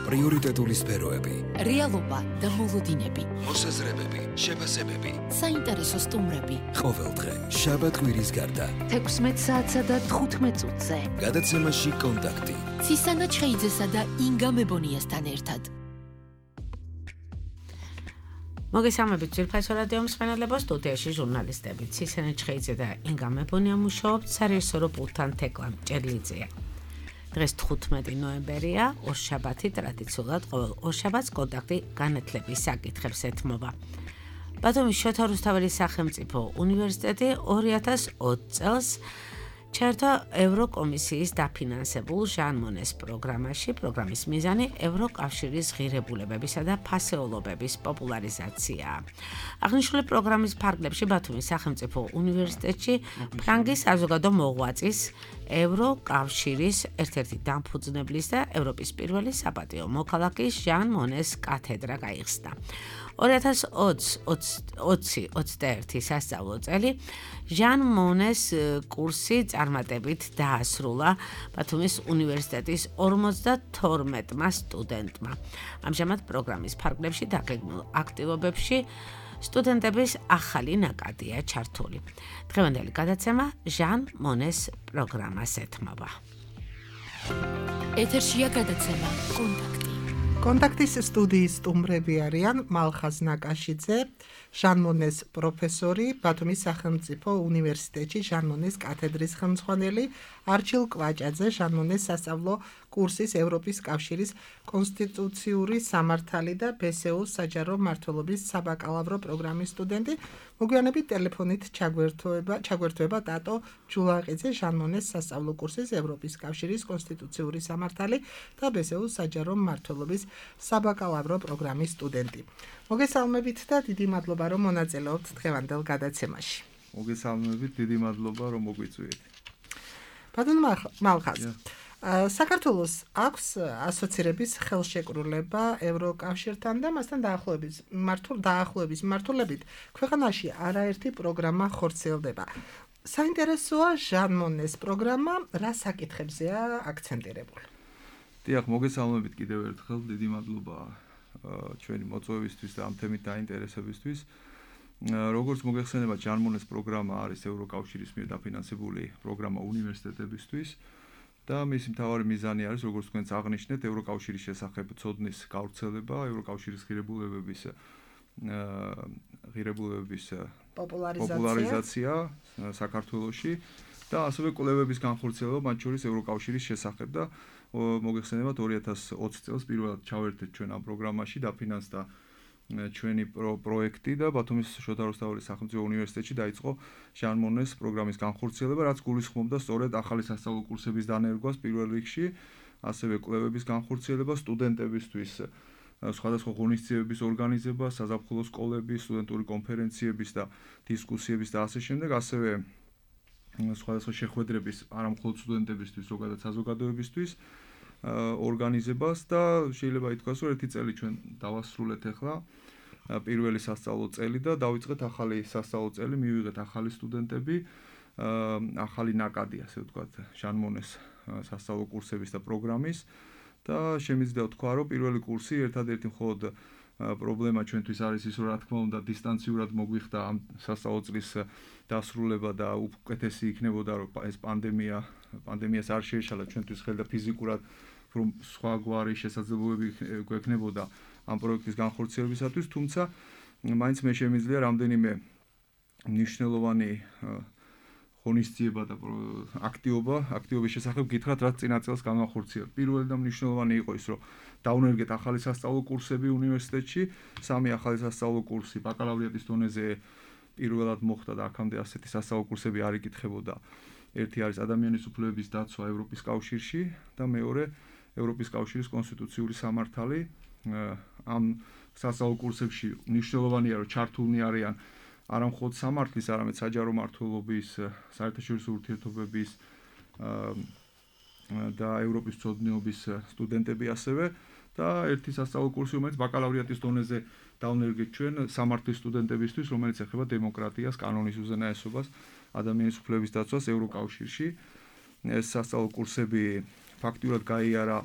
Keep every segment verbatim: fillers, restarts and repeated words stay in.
პრიორიტეტული სფეროები, რეალობა და მოლოდინები, მოსაზრებები, შეფასებები, საინტერესო სტუმრები. ყოველდღე შაბათ კვირის გარდა თექვსმეტ საათსა და თხუთმეტ წუთზე გადაცემაში კონტაქტი ცისანა ჩხეიძესა და ინგა მებონიასთან ერთად. მოგესალმებით ძვირფასო რადიო მსმენელებო, სტუდიაში ჟურნალისტები ცისანა ჩხეიძე და ინგა მებონია მუშაობთ სარეჟისორო პულტთან თეკლა მჭედლიძეა. დღეს თხუთმეტი ნოემბერია, ორშაბათი ტრადიციულად ყოველ ორშაბათს კონტაქტი განათლების საკითხებს ეთმობა. ბათუმის შოთა რუსთაველის სახელმწიფო უნივერსიტეტი ორი ათას ოცი წელს ჩაერთვა ევროკომისიის დაფინანსებულ ჟან მონეს პროგრამაში. პროგრამის მიზანი ევროკავშირის ღირებულებებისა და ფასეულობების პოპულარიზაციაა. აღნიშნული პროგრამის ფარგლებში ბათუმის სახელმწიფო უნივერსიტეტში ფრანგის საზოგადო მოღვაწის ევროკავშირის ერთ-ერთი დამფუძნებლის და ევროპის პირველი საპატიო მოქალაქის ჟან მონეს კათედრა გაიხსნა. ორი ათას ოცი ოცდაერთი სასწავლო წელი ჟან მონეს კურსი წარმატებით დაასრულა ბათუმის უნივერსიტეტის ორმოცდათორმეტმა სტუდენტმა. ამჟამად პროგრამის ფარგლებში დაგეგმილ აქტივობებში სტუდენტების ახალი ნაკადია ჩართული. დღევანდელი გადაცემა ჟან მონეს პროგრამას ეთმობა. ეთერშია გადაცემა კონტაქტი. კონტაქტის სტუდიის სტუმრები არიან მალხაზ ნაკაშიძე, ჟან მონეს პროფესორი, ბათუმის სახელმწიფო უნივერსიტეტში ჟან მონეს კათედრის ხელმძღვანელი, არჩილ კვაჭაძე, ჟან მონეს სასწავლო კურსის ევროპის კავშირის კონსტიტუციური სამართალი და ბე ეს იუს საჯარო მმართველობის საბაკალავრო პროგრამის სტუდენტი. მოგვიანებით ტელეფონით ჩაგვერთვება, ჩაგვერთვება დატო ჯულაყიძე, ჟან მონეს სასწავლო კურსის ევროპის კავშირის კონსტიტუციური სამართალი და ბე ეს იუს საჯარო მმართველობის საბაკალავრო პროგრამის სტუდენტი. მოგესალმებით და დიდი მადლობა რომ მონაწილეობთ დღევანდელ გადაცემაში. მოგესალმებით, დიდი მადლობა რომ მოგვიწვიეთ. ბატონ მალხაზ, საქართველოს აქვს ასოცირების ხელშეკრულება ევროკავშირთან და მასთან დაახლოების მართულ დაახლოების მართულებით ქვეყანაში არაერთი პროგრამა ხორციელდება. საინტერესოა ჟან მონეს პროგრამა, რა საკითხებზეა აქცენტირებული? დიახ, მოგესალმებით კიდევ ერთხელ, დიდი მადლობა ჩვენი მოწვევისთვის და ამ თემით დაინტერესებისთვის. როგორც მოგეხსენება, ჟან მონეს პროგრამა არის ევროკავშირის მიერ დაფინანსებული პროგრამა უნივერსიტეტებისთვის და მისი მთავარი მიზანი არის, როგორც თქვენც აღნიშნეთ, ევროკავშირის შესახებ ცოდნის გავრცელება, ევროკავშირის ღირებულებების ღირებულებების პოპულარიზაცია საქართველოში და ასევე კვლევების განხორციელება მათ შორის ევროკავშირის შესახებ და მოგეხსენებათ ორი ათას ოცი წელს პირველად ჩავერთეთ ჩვენ ამ პროგრამაში, დაფინანსდა ჩვენი პროექტი და ბათუმის შოთა რუსთაველის სახელმწიფო უნივერსიტეტში დაიწყო ჟან მონეს პროგრამის განხორციელება, რაც გულისხმობდა სწორედ ახალი სასწავლო კურსების დანერგვას პირველ რიგში, ასევე კვლევების განხორციელება სტუდენტებისთვის, სხვადასხვა ღონისძიებების ორგანიზება, საზაფხულო სკოლების, სტუდენტური კონფერენციების და დისკუსიების და ასე შემდეგ, ასევე სხვადასხვა შეხვედრების არა მხოლოდ სტუდენტებისთვის, ზოგადად საზოგადოებისთვის ორგანიზებას და შეიძლება ითქვას, რომ ერთი წელი ჩვენ დავასრულეთ ახლა პირველი სასწავლო წელი და დავიწყეთ ახალი სასწავლო წელი, მივიღეთ ახალი სტუდენტები, ახალი ნაკადი, ასე ვთქვათ, ჟან მონეს სასწავლო კურსების და პროგრამის და შემიძლია ვთქვა, რომ პირველი კურსი ერთადერთი მხოლოდ პრობლემა ჩვენთვის არის ის, რომ რა თქმა უნდა დისტანციურად მოგვიხდა ამ სასწავლო წლის დასრულება და უკეთესი იქნებოდა, რომ ეს პანდემია პანდემიას არ შეეშალა ჩვენთვის ხელდა ფიზიკურად, რომ სხვა გვარი შესაძლებლობები გვექნებოდა ამ პროექტის განხორციელებისათვის, თუმცა მაინც მე შემიძლია რამდენიმე მნიშვნელოვანი ღონისძიება და აქტივობა, აქტივობის შესახებ გითხრათ, რაც წინა წელს განახორციელდა. პირველი და მნიშვნელოვანი იყო ის, რომ დაუნერგეთ ახალი სასწავლო კურსები უნივერსიტეტში, სამი ახალი სასწავლო კურსი ბაკალავრიატის დონეზე პირველად მოხდა და აქამდე ასეთი სასწავლო კურსები არ იკითხებოდა. ერთი არის ადამიანის უფლებების დაცვა ევროპის კავშირში და მეორე ევროპის კავშირის კონსტიტუციური სამართალი. ამ სასწავლო კურსებში მნიშვნელოვანია, რომ ჩართულნი არიან არა მხოლოდ სამართლის, არამედ საჯარო მმართველობის, საერთაშორისო ურთიერთობების და ევროპის ცოდნიობის სტუდენტები ასევე და ერთი სასწავლო კურსი, რომელიც ბაკალავრიატის დონეზე დავნერგეთ ჩვენ სამართლის სტუდენტებისთვის, რომელიც ეხება დემოკრატიას, კანონის უზენაესობას, ადამიანის უფლებების დაცვას ევროკავშირში. ეს სასწავლო კურსები ფაქტიურად გაიარა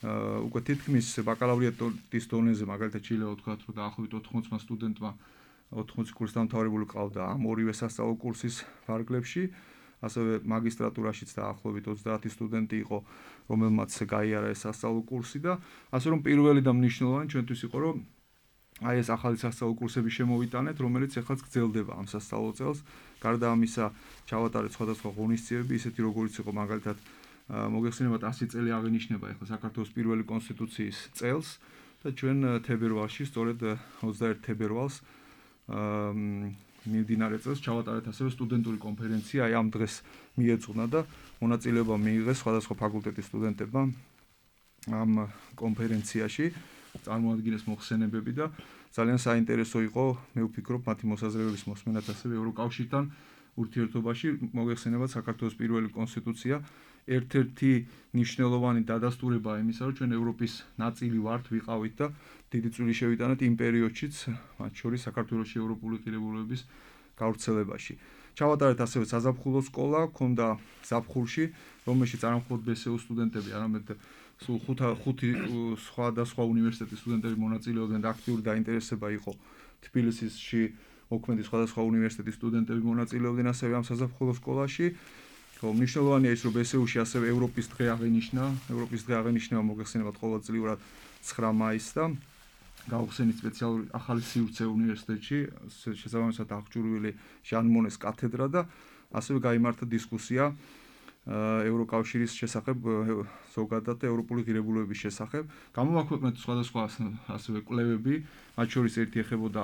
უკვე თითქმის ბაკალავრიატის დონეზე მაგალითად შეიძლება ვთქვათ, რომ დაახლოებით ოთხმოცმა სტუდენტმა ოთხმოცი კურსი დამთავრებული ყავდა ამ ორივე სასწავლო კურსის ფარგლებში. ასევე მაგისტრატურაშიც დაახლოებით ოცდაათი სტუდენტი იყო, რომელმაც გაიარა ეს სასწავლო კურსი და ასე რომ პირველი და მნიშვნელოვანი ჩვენთვის იყო, რომ აი ეს ახალი სასწავლო კურსები შემოვიტანეთ, რომელიც ეხლაც გრძელდება ამ სასწავლო წელს. გარდა ამისა, ჩავატარეთ სხვადასხვა ღონისძიებები, ისეთი როგორიც იყო მაგალითად მოგეხსენებათ ასი წელი აღინიშნება ეხლა საქართველოს პირველი კონსტიტუციის წელს და ჩვენ თებერვალში, სწორედ ოცდაერთი თებერვალს მიმდინარე წელს ჩავატარეთ ასევე სტუდენტური კონფერენცია, აი ამ დღეს მიეძღვნა და მონაწილეობა მიიღეს სხვადასხვა ფაკულტეტის სტუდენტებმა ამ კონფერენციაში, წარმოადგინეს მოხსენებები და ძალიან საინტერესო იყო, მე ვფიქრობ, მათი მოსაზრებების მოსმენაც ასევე ევროკავშირთან ურთიერთობაში, მოგეხსენებათ საქართველოს პირველი კონსტიტუცია ერთ-ერთი მნიშვნელოვანი დადასტურებაა იმისა, რომ ჩვენ ევროპის ნაწილი ვართ, ვიყავით და დიდი წვლილი შევიტანეთ იმ პერიოდშიც, მათ შორის საქართველოში ევროპული ღირებულებების გავრცელებაში. ჩავატარეთ ასევე საზაფხულო სკოლა, ჰქონდა ზაფხულში, რომელშიც არა მხოლოდ ბე ეს იუ სტუდენტები, არამედ სულ ხუთი სხვადასხვა უნივერსიტეტის სტუდენტები მონაწილეობდნენ და აქტიური დაინტერესება იყო თბილისში მოქმედი სხვადასხვა უნივერსიტეტის სტუდენტები მონაწილეობდნენ ასევე ამ საზაფხულო სკოლაში. მნიშვნელოვანია ის, რომ ბე ეს იუ-ში ასევე ევროპის დღე აღინიშნა, ევროპის დღე აღინიშნება მოგეხსენებათ ყოველწლიურად ცხრა მაისს და გაუხსენით სპეციალური ახალი სივრცე უნივერსიტეტში, შესაბამისად აღჭურვილი ჟან მონეს კათედრა და ასევე გაიმართა დისკუსია ევროკავშირის შესახებ, ზოგადად ევროპული ღირებულებების შესახებ. გამოვაქვეყნეთ სხვადასხვა ასევე კვლევები, მათ შორის ერთი ეხებოდა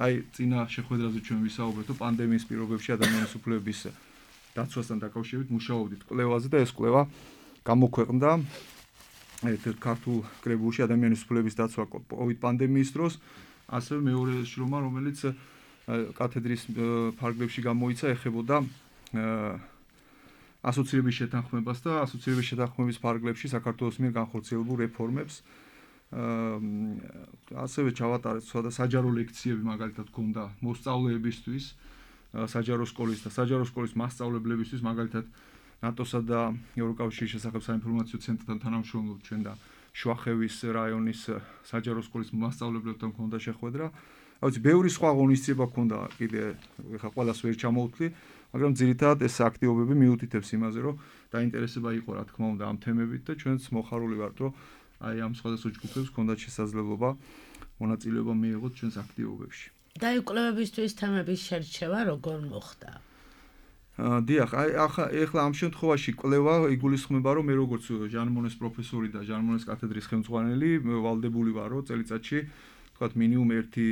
აი წინა შეხვედრაზე ჩვენ ვისაუბრეთ, პანდემიის პირობებში ადამიანის უფლებების დაცვასთან დაკავშირებით მუშაობდით კვლევაზე და ეს კვლევა გამოქვეყნდა ერთ-ერთ ქართულ კრებულში ადამიანის უფლების დაცვა კოვიდ პანდემიის დროს, ასევე მეორე შრომა, რომელიც კათედრის ფარგლებში გამოიცა, ეხებოდა ასოცირების შეთანხმებას და ასოცირების შეთანხმების ფარგლებში საქართველოს მიერ განხორციელებულ რეფორმებს. ასევე ჩავატარეთ სხვა საჯარო ლექციები, მაგალითად ჰქონდა მოსწავლეებისთვის, საჯარო სკოლის და საჯარო სკოლის მასწავლებლებისთვის, მაგალითად ნატოსა და ევროკავშირის შესახებ საინფორმაციო ცენტრთან თანამშრომლობთ ჩვენ და შუახევის რაიონის საჯარო სკოლის მასწავლებლებთან ჰქონდა შეხვედრა. აუცი ბევრი სხვა ღონისძიება ჰქონდა, კიდე ეხლა ყველას ვერ ჩამოვთვლი, მაგრამ ძირითადად ეს აქტივობები მიუთითებს იმაზე, რომ დაინტერესება იყო რა თქმა უნდა ამ თემებით და ჩვენც მოხარული ვართ, რომ აი ამ სხვადასხვა ჯგუფებს ჰქონდათ შესაძლებლობა მონაწილეობა მიიღოთ ჩვენს აქტივობებში. და კვლევებისთვის თემების შერჩევა როგორ მოხდა? დიახ, აი ახლა ამ შემთხვევაში კვლევა იგულისხმება, რომ მე როგორც ჟან მონეს პროფესორი და ჟან მონეს კათედრის ხელმძღვანელი ვალდებული ვარ, რომ წელიწადში თქვათ მინიმუმ ერთი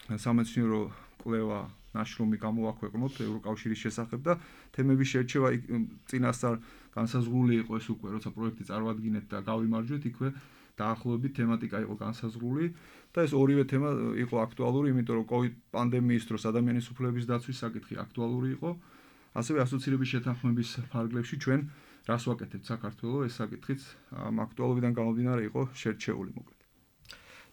სამეცნიერო კვლევა ნაშრომი გამოვაქვეყნოთ ევროკავშირის შესახებ და თემების შერჩევა წინასწარ განსაზღვრული იყო ეს უკვე, როცა პროექტი წარმოადგინეთ და გავიმარჯვეთ, იქვე დაახლოებით თემატიკა იყო განსაზღვრული და ეს ორივე თემა იყო აქტუალური, იმიტომ რომ კოვიდ პანდემიის დროს ადამიანის უფლების დაცვის საკითხი აქტუალური იყო. ასევე ასოცირების შეთანხმების ფარგლებში ჩვენ რას ვაკეთებთ საქართველოს, ეს საკითხიც ამ აქტუალობიდან გამომდინარე იყო შერჩეული მოკლედ.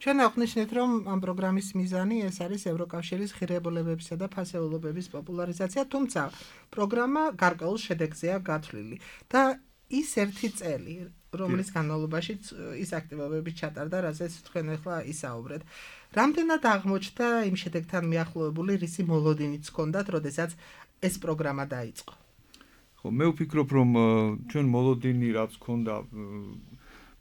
ჩვენ აღნიშნეთ, რომ ამ პროგრამის მიზანი ეს არის ევროკავშირის ღირებულებებისა და ფასეულობების პოპულარიზაცია, თუმცა პროგრამა გარკვეულ შედეგზეა გათვლილი და ის ერთი წელი, რომლის განმავლობაში ის აქტივობები ჩატარდა, რასაც თქვენ ახლა ისაუბრეთ. რამდენად აღმოჩნდა იმ შედეგთან მიახლოებული რისი მოლოდინიც ჰქონდათ, როდესაც ეს პროგრამა დაიწყო? ხო, მე ვფიქრობ, რომ ჩვენ მოლოდინი რაც ჰქონდა,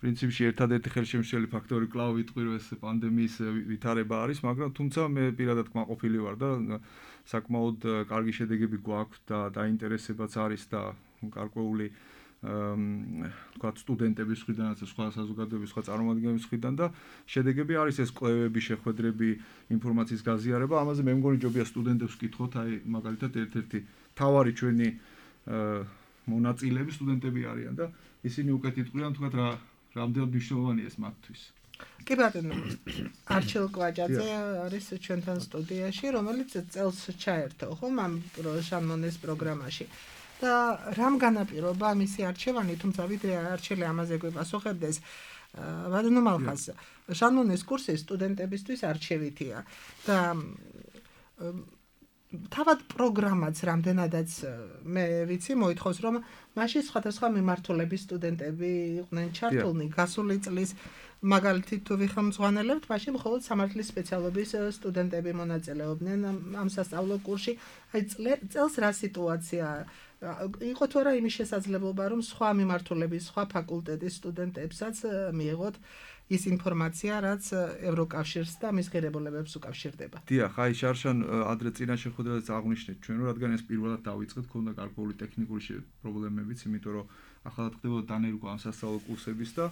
პრინციპში ერთადერთი ხელშემშლელი ფაქტორი კლავ ვიტყვი, რომ ეს პანდემიის ვითარება არის, მაგრამ თუმცა მე პირადად კმაყოფილი ვარ და საკმაოდ კარგი შედეგები გვაქვს და დაინტერესებაც არის და გარკვეული თქვათ სტუდენტების მხრიდანაც სხვა საზოგადოების სხვა წარმომადგენლების მხრიდან და შედეგები არის ეს კვლევები, შეხვედრები, ინფორმაციის გაზიარება. ამაზე მე მგონი ჯობია სტუდენტებს ვკითხოთ, აი მაგალითად ერთ-ერთი თავარი ჩვენი მონაწილეები სტუდენტები არიან და ისინი უკეთ იტყვიან თქვათ რა რამდენად მნიშვნელოვანია ეს მათთვის. კი ბატონო, არჩილ კვაჯაძე არის ჩვენთან სტუდიაში, რომელიც წელს ჩაერთო ხომ ამ ჟან მონეს პროგრამაში. და რამ განაპირობა მისი არჩევანი, თუმცა ვიდრე არჩელი ამაზე გვიპასუხებდეს, ბატონო მალხაზ, ჟან მონეს კურსი სტუდენტებისთვის არჩევითია და თავად პროგრამაც რამდენადაც მე ვიცი მოითხოვს რომ მაშინ სხვადასხვა მიმართულების სტუდენტები იყვნენ ჩართულნი გასული წლის მაგალითად თუ ვიხმძღვანელებთ მაშინ მხოლოდ სამართლის სპეციალობის სტუდენტები მონაწილეობდნენ ამ სასწავლო კურსში აი წელს რა სიტუაცია იყო თუ არა იმის შესაძლებლობა რომ სხვა მიმართულების სხვა ფაკულტეტის სტუდენტებსაც მიიღოთ ის ინფორმაცია, რაც ევროკავშირს და მის ღირებულებებს უკავშირდება. დიახ, აი შარშან ადრე წინა შეხვედრაზე აღნიშნეთ ჩვენ, რომ რადგან ეს პირველად დავიწყეთ, ქონდა გარკვეული ტექნიკური პრობლემებიც, იმიტომ რომ ახალად ხდებოდა დანერგვა ამ სასწავლო კურსების და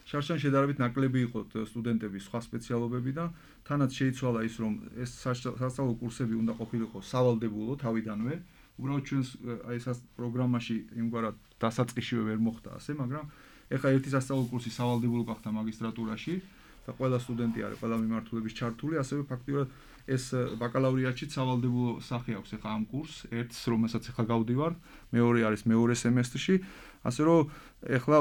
შარშან შედარებით ნაკლები იყო სტუდენტები სხვა სპეციალობებიდან, თანაც შეიცვალა ის, რომ ეს სასწავლო კურსები უნდა ყოფილიყო სავალდებულო თავიდანვე, უბრალოდ ჩვენს აი ეს პროგრამაში იმგვარად დასაწყისშივე ვერ მოხდა ასე, მაგრამ ეხლა ერთი სასწავლო კურსი სავალდებულო გახდა მაგისტრატურაში და ყველა სტუდენტი არის ყველა მიმართულების ჩართული, ასევე ფაქტიურად ეს ბაკალავრიატშიც სავალდებულო სახე აქვს ეხლა ამ კურსს, ერთს რომელსაც ეხლა გავდივარ, მეორე არის მეორე სემესტრში, ასე რომ ეხლა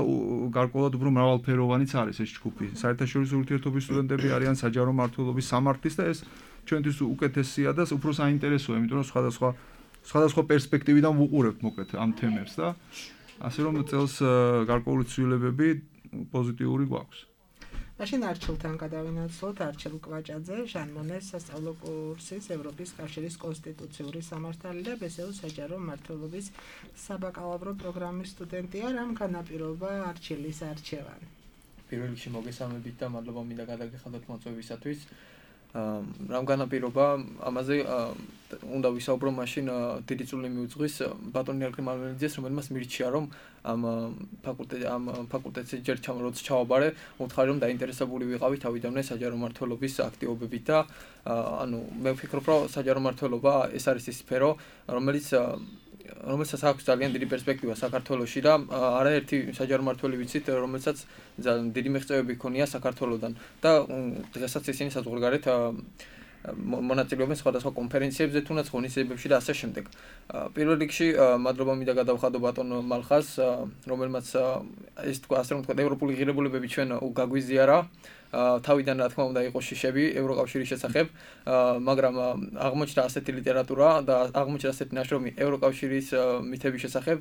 გარკვეულად უფრო მრავალფეროვანიც არის ეს ჯგუფი. საერთაშორისო ურთიერთობის სტუდენტები არიან საჯარო მმართველობის სამართლის და ეს ჩვენთვის უკეთესია და უფრო საინტერესოა, იმიტომ რომ სხვადასხვა სხვადასხვა პერსპექტივიდან ვუყურებთ მოკლედ ამ თემებს და ასე რომ წელს გარკვეული ცვლილებები პოზიტიური გვაქვს. მაშინ არჩილთან გადავინაცვლოთ არჩილ კვაჭაძე, ჟან მონეს სასწავლო კურსის ევროპის კავშირის კონსტიტუციური სამართალი და ბესეუს საჯარო მმართველობის საბაკალავრო პროგრამის სტუდენტია, რამ განაპირობა არჩილის არჩევანი. პირველ რიგში მოგესალმებით და მადლობა მინდა გადაგეხადოთ მოწვევისათვის. რამ განაპირობა ამაზე უნდა ვისაუბრო მაშინ დიდი წვლილი მიუძღვის ბატონი ალკრე მალმელიძეს, რომელმაც მირჩია რომ ამ ფაკულტეტ ამ ფაკულტეტზე ჯერ როცა ჩავაბარე, უთხარი რომ დაინტერესებული ვიყავი თავიდანვე საჯარო მმართველობის აქტივობებით და ანუ მე ვფიქრობ რომ საჯარო მმართველობა ეს არის ის სფერო, რომელიც რომელსაც აქვს ძალიან დიდი პერსპექტივა საქართველოში და არაერთი საჯარო მმართველი ვიცით, რომელსაც ძალიან დიდი მიღწევები ჰქონია საქართველოსთან და დღესაც ისინი საზღვარგარეთ მონაწილეობენ სხვადასხვა კონფერენციებზე, თუნდაც ღონისძიებებში და ასე შემდეგ. პირველ რიგში მადლობა მინდა გადავხადო ბატონ მალხას, რომელმაც ეს თქვა ასე რომ თქვა ევროპული ღირებულებები ჩვენ გაგვიზიარა. თავიდან რა თქმა უნდა იყო შიშები ევროკავშირის შესახებ, მაგრამ აღმოჩნდა ასეთი ლიტერატურა და აღმოჩნდა ასეთი ნაშრომი ევროკავშირის მითების შესახებ.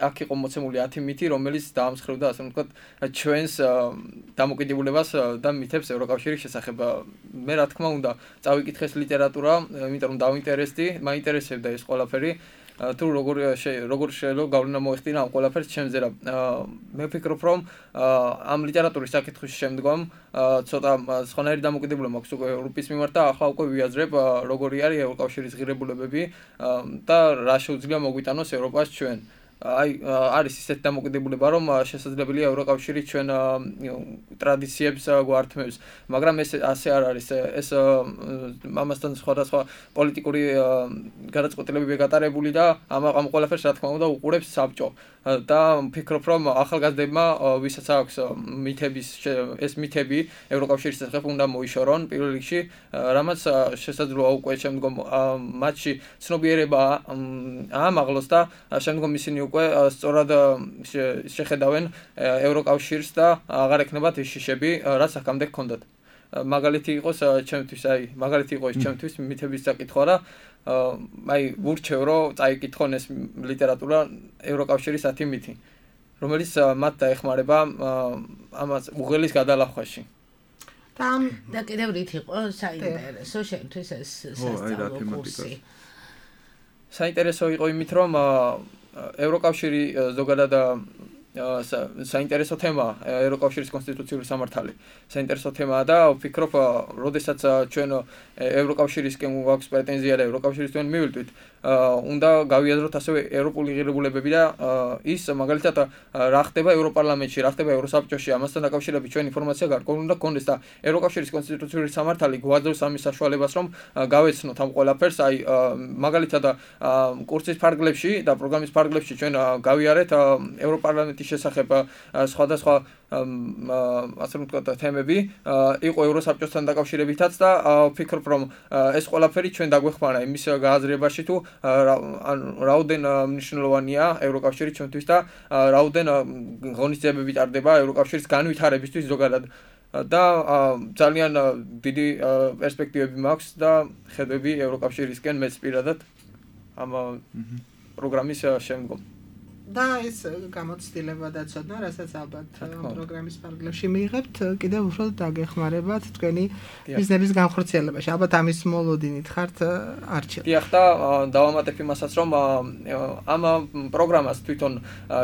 აქ იყო მოცემული ათი მითი, რომელიც დაამსხვრევდა ასე ვთქვათ ჩვენს დამოკიდებულებას და მითებს ევროკავშირის შესახებ. მე რა თქმა უნდა წავიკითხე ეს ლიტერატურა, იმიტომ რომ დავინტერესდი, მაინტერესებდა ეს ყველაფერი. თუ როგორ როგორ შეიძლება გავლენა მოეხდინა ამ ყველაფერს ჩემზე რა მე ვფიქრობ რომ ამ ლიტერატურის საკითხის შემდგომ ცოტა სხვანაირი დამოკიდებულება მაქვს უკვე ევროპის მიმართ და ახლა უკვე ვიაზრებ როგორი არის ევროკავშირის ღირებულებები და რა შეუძლია მოგვიტანოს ევროპას ჩვენ აი არის ისეთი დამოკიდებულება რომ შესაძლებელია ევროკავშირი ჩვენ ტრადიციებს გვართმევს მაგრამ ეს ასე არ არის ეს ამასთან სხვადასხვა პოლიტიკური გადაწყვეტილებები გატარებული და ამ ამ ყველაფერს რა თქმა უნდა უყურებს საბჭო და ვფიქრობ რომ ახალგაზრდებმა ვისაც აქვს მითების ეს მითები ევროკავშირის შესახებ უნდა მოიშორონ პირველ რიგში რამაც შესაძლოა უკვე შემდგომ მათში ცნობიერება აამაღლოს და შემდგომ ისინი უკვე სწორად შეხედავენ ევროკავშირს და აღარ ექნებათ ის შიშები რაც აქამდე ჰქონდათ მაგალითი იყოს ჩემთვის აი მაგალითი იყო ის ჩემთვის მითების საკითხვა რა აი ვურჩევ რომ წაიკითხონ ეს ლიტერატურა ევროკავშირის ათი მითი რომელიც მათ დაეხმარება ამას უღელის გადალახვაში და და კიდევ რით იყო საინტერესო შენთვის ეს სასწავლო კურსი საინტერესო იყო იმით რომ ევროკავშირი ზოგადად საინტერესო თემაა ევროკავშირის კონსტიტუციური სამართალი. საინტერესო თემაა და ვფიქრობ, როდესაც ჩვენ ევროკავშირისკენ გვაქვს პრეტენზია და ევროკავშირისკენ მივიდით, უნდა გავიაზროთ ასევე ევროპული ღირებულებები და ის მაგალითად რა ხდება ევროპარლამენტში, რა ხდება ევროსაბჭოში, ამასთან დაკავშირებით ჩვენ ინფორმაცია გარკვეული უნდა გქონდეს და ევროკავშირის კონსტიტუციური სამართალი გვაძლევს ამის საშუალებას, რომ გავეცნოთ ამ ყველაფერს, აი მაგალითად კურსის ფარგლებში და პროგრამის ფარგლებში ჩვენ გავიარეთ ევროპარლამენტის შესახებ სხვადასხვა ასე ვთქვათ თემები იყო ევროსაბჭოსთან დაკავშირებითაც და ვფიქრობ რომ ეს ყველაფერი ჩვენ დაგვეხმარა იმის გააზრებაში თუ რაოდენ მნიშვნელოვანია ევროკავშირი ჩვენთვის და რაოდენ ღონისძიებები ტარდება ევროკავშირის განვითარებისთვის ზოგადად და ძალიან დიდი პერსპექტივები მაქვს და ხედვები ევროკავშირისკენ მეც პირადად ამ პროგრამის შემდგომ. და ეს გამოცდილება და ცოდნა, რასაც ალბათ პროგრამის ფარგლებში მიიღებთ, კიდევ უფრო დაგეხმარებათ თქვენი ბიზნესის განხორციელებაში. ალბათ ამის მოლოდინით ხართ არჩილ. დიახ და დავამატებ იმასაც, რომ ამ პროგრამას თვითონ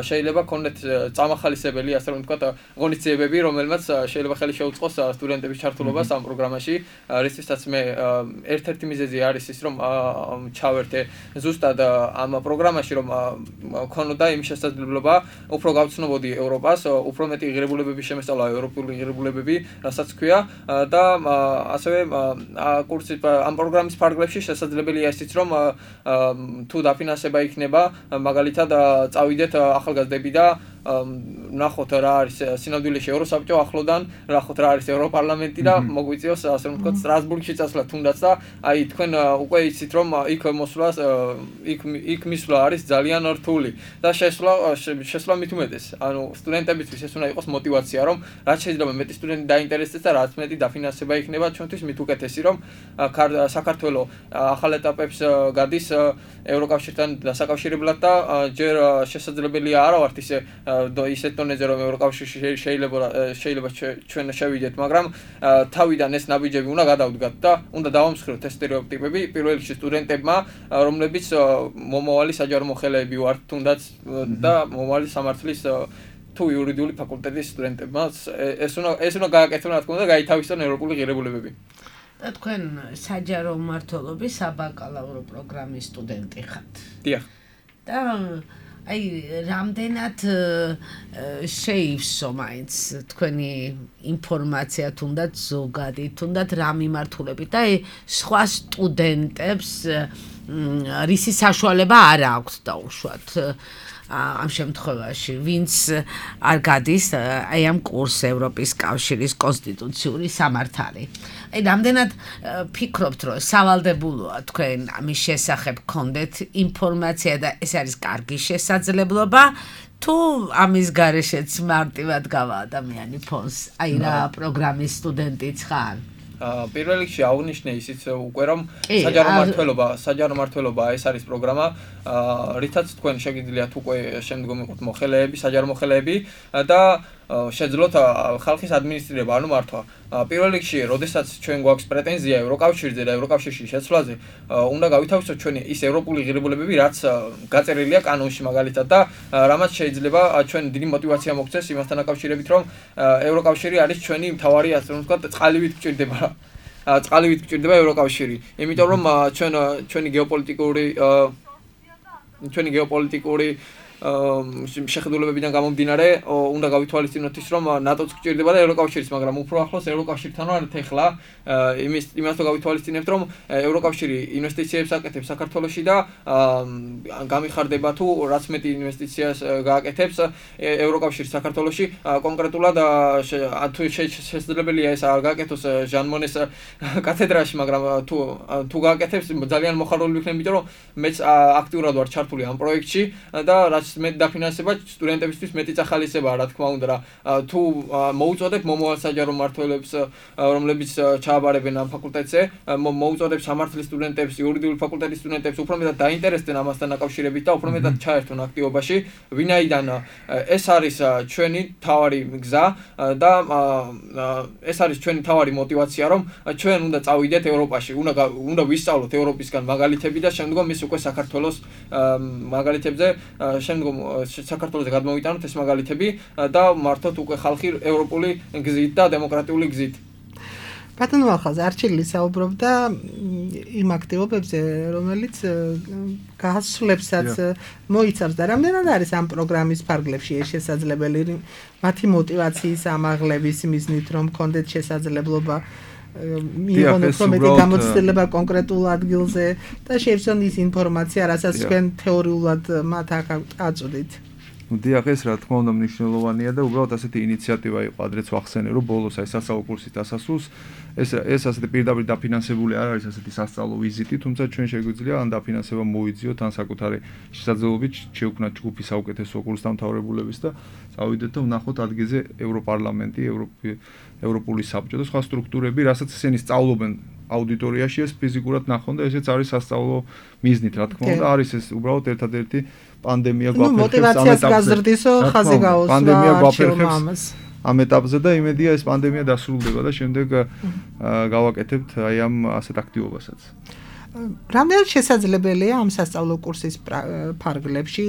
შეიძლება ქონდეთ წამახალისებელი, ასე რომ ვთქვათ, ღონისძიებები, რომელმაც შეიძლება ხელი შეუწყოს სტუდენტების ჩართულობას ამ პროგრამაში, რისთვისაც მე ერთ-ერთი მიზეზი არის ის, რომ ჩავერთე ზუსტად ამ პროგრამაში, რომ ქონოდა იმ შესაძლებლობა უფრო გავცნობოდი ევროპას, უფრო მეტი ღირებულებების შემოსწავლა ევროპული ღირებულებები, რასაც ქვია და ასევე კურსი ამ პროგრამის ფარგლებში შესაძლებელია ისიც, რომ თუ დაფინანსება იქნება, მაგალითად წავიდეთ ახალგაზრდები და ნახოთ რა არის სინამდვილეში ევროსაბჭო ახლოდან, ნახოთ რა არის ევროპარლამენტი და მოგვიწევს ასე რომ ვთქვათ სტრასბურგში წასვლა თუნდაც და აი თქვენ უკვე იცით რომ იქ მოსვლას იქ იქ მისვლა არის ძალიან რთული და შესვლა შესვლა მით უმეტეს. ანუ სტუდენტებისთვის ეს უნდა იყოს მოტივაცია, რომ რაც შეიძლება მეტი სტუდენტი დაინტერესდეს და რაც მეტი დაფინანსება იქნება ჩვენთვის მით უკეთესი, რომ საქართველოს ახალ ეტაპებს გადის ევროკავშირთან დასაკავშირებლად და ჯერ შესაძლებელია არა ვართ ისე ისეთ დონეზე რომ ევროკავშირში შეიძლება შეიძლება ჩვენ შევიდეთ, მაგრამ თავიდან ეს ნაბიჯები უნდა გადავდგათ და უნდა დავამსხვროთ ეს სტერეოტიპები პირველ რიგში სტუდენტებმა, რომლებიც მომავალი საჯარო მოხელეები ვართ თუნდაც და მომავალი სამართლის თუ იურიდიული ფაკულტეტის სტუდენტებმა ეს უნდა ეს უნდა გააკეთონ რა თქმა უნდა გაითავისონ ევროპული ღირებულებები. და თქვენ საჯარო მმართველობის საბაკალავრო პროგრამის სტუდენტი ხართ. დიახ. და აი რამდენად შეივსო მაინც თქვენი ინფორმაცია თუნდაც ზოგადი, თუნდაც რა მიმართულებით და აი სხვა სტუდენტებს რისი საშუალება არ აქვს დაუშვათ ამ შემთხვევაში, ვინც არ გადის აი ამ კურსს ევროპის კავშირის კონსტიტუციური სამართალი. აი რამდენად ფიქრობთ, რომ სავალდებულოა თქვენ ამის შესახებ გქონდეთ ინფორმაცია და ეს არის კარგი შესაძლებლობა, თუ ამის გარეშეც მარტივად გავა ადამიანი ფონს, აი რა პროგრამის სტუდენტიც ხარ? პირველ რიგში აღვნიშნე ისიც უკვე რომ საჯარო მმართველობა, საჯარო მმართველობა ეს არის პროგრამა, რითაც თქვენ შეგიძლიათ უკვე შემდგომ იყოთ მოხელეები, საჯარო მოხელეები და შეძლოთ ხალხის ადმინისტრირება, ანუ მართვა. პირველ რიგში, როდესაც ჩვენ გვაქვს პრეტენზია ევროკავშირზე და ევროკავშირში შეცვლაზე, უნდა გავითავისოთ ჩვენი ის ევროპული ღირებულებები, რაც გაწერილია კანონში მაგალითად და რამაც შეიძლება ჩვენ დიდი мотиваცია მოგცეს იმასთან დაკავშირებით, რომ ევროკავშირი არის ჩვენი მთავარი, ასე რომ ვთქვათ, წყალივით გჭირდება. წყალივით გჭირდება ევროკავშირი. იმიტომ რომ ჩვენ ჩვენი გეოპოლიტიკური ჩვენი გეოპოლიტიკური შეხედულებებიდან გამომდინარე უნდა გავითვალისწინოთ ის რომ ნატოც გჭირდება და ევროკავშირიც, მაგრამ უფრო ახლოს ევროკავშირთან ვართ ახლა იმის იმასთან გავითვალისწინებთ რომ ევროკავშირი ინვესტიციებს აკეთებს საქართველოში და გამიხარდება თუ რაც მეტი ინვესტიციას გააკეთებს ევროკავშირი საქართველოში კონკრეტულად თუ შესაძლებელია ეს არ გააკეთოს ჟან მონეს კათედრაში, მაგრამ თუ თუ გააკეთებს ძალიან მოხარული ვიქნები, იმიტომ რომ მეც აქტიურად ვარ ჩართული ამ პროექტში და რაც მეტ დაფინანსება სტუდენტებისთვის მეტი წახალისებაა, რა თქმა უნდა, რა თუ მოუწოდებ მომავალ საჯარო მმართველებს, რომლებიც ჩააბარებენ ამ ფაკულტეტზე, მოუწოდებ სამართლის სტუდენტებს, იურიდიული ფაკულტეტის სტუდენტებს, უფრო მეტად დაინტერესდნენ ამასთან დაკავშირებით და უფრო მეტად ჩაერთონ აქტივობაში, ვინაიდან ეს არის ჩვენი თავარი გზა და ეს არის ჩვენი თავარი мотиваცია, რომ ჩვენ უნდა წავიდეთ ევროპაში, უნდა უნდა ვისწავლოთ ევროპისგან მაგალითები და შემდგომ ის უკვე საქართველოს მაგალითებზე შემდგომ საქართველოზე გადმოვიტანოთ ეს მაგალითები და მართოთ უკვე ხალხი ევროპული გზით და დემოკრატიული გზით. ბატონო ახალზე არჩილი საუბრობდა იმ აქტივობებზე, რომელიც გასვლებსაც მოიცავს და რამდენად არის ამ პროგრამის ფარგლებში ეს შესაძლებელი მათი мотиваციის ამაღლების მიზნით, რომ გქონდეთ შესაძლებლობა მიიღონ უფრო მეტი გამოცდილება კონკრეტულ ადგილზე და შეიცვალონ ის ინფორმაცია, რასაც თქვენ თეორიულად მათ აწვდით. დიახ, ეს რა თქმა უნდა მნიშვნელოვანია და უბრალოდ ასეთი ინიციატივა იყო, ადრეც ვახსენე, რომ ბოლოს აი სასწავლო კურსის დასასრულს ეს ეს ასეთი პირდაპირ დაფინანსებული არ არის ასეთი სასწავლო ვიზიტი, თუმცა ჩვენ შეგვიძლია ან დაფინანსება მოვიძიოთ, ან საკუთარი შესაძლებლობით შევქმნათ ჯგუფი საუკეთესო კურსდამთავრებულების და წავიდეთ და ვნახოთ ადგილზე ევროპარლამენტი, ევროპული საბჭო და სხვა სტრუქტურები, რასაც ისინი სწავლობენ აუდიტორიაში ეს ფიზიკურად ნახონ და ესეც არის სასწავლო მიზნით, რა თქმა უნდა, არის ეს უბრალოდ ერთადერთი პანდემია გვაფერხებს ამ ეტაპზე. მოტივაციას გაზრდისო ხაზი გაუსვა პანდემია გვაფერხებს ამ ეტაპზე და იმედია ეს პანდემია დასრულდება და შემდეგ გავაკეთებთ აი ამ ასეთ აქტივობასაც. რამდენად შესაძლებელია ამ სასწავლო კურსის ფარგლებში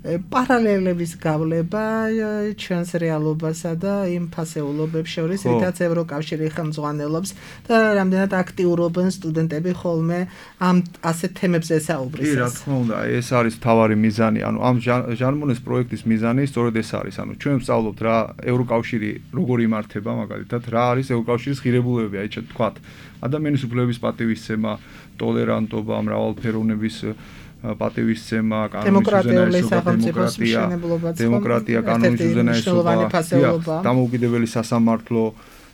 პარალელების გავლება ჩვენს რეალობასა და იმ ფასეულობებს შორის, რითაც ევროკავშირი ხელმძღვანელობს და რამდენად აქტიურობენ სტუდენტები ხოლმე ამ ასეთ თემებზე საუბრისას. კი, რა თქმა უნდა, ეს არის მთავარი მიზანი, ანუ ამ ჟანმონეს პროექტის მიზანი სწორედ ეს არის, ანუ ჩვენ ვსწავლობთ რა ევროკავშირი როგორ იმართება, მაგალითად, რა არის ევროკავშირის ღირებულებები, აი თქვათ, ადამიანის უფლებების პატივისცემა, ტოლერანტობა, მრავალფეროვნების პატივისცემა, კანონის უზენაესობა, დემოკრატია, დემოკრატია, კანონის უზენაესობა, დამოუკიდებელი სასამართლო,